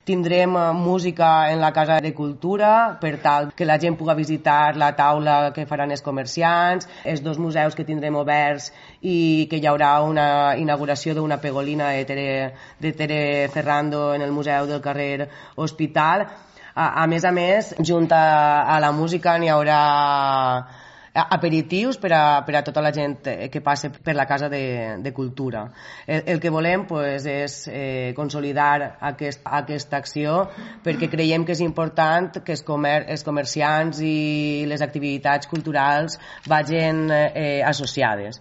Tindrem música en la Casa de Cultura per tal que la gent pugui visitar la taula que faran els comerciants, els dos museus que tindrem oberts i que hi haurà una inauguració d'una pegolina de Tere Ferrando en el Museu del carrer Hospital. A més, junt a la música n'hi haurà aperitius per a tota la gent que passa per la Casa de Cultura. El que volem és consolidar aquesta acció perquè creiem que és important que els comerciants i les activitats culturals vagin associades.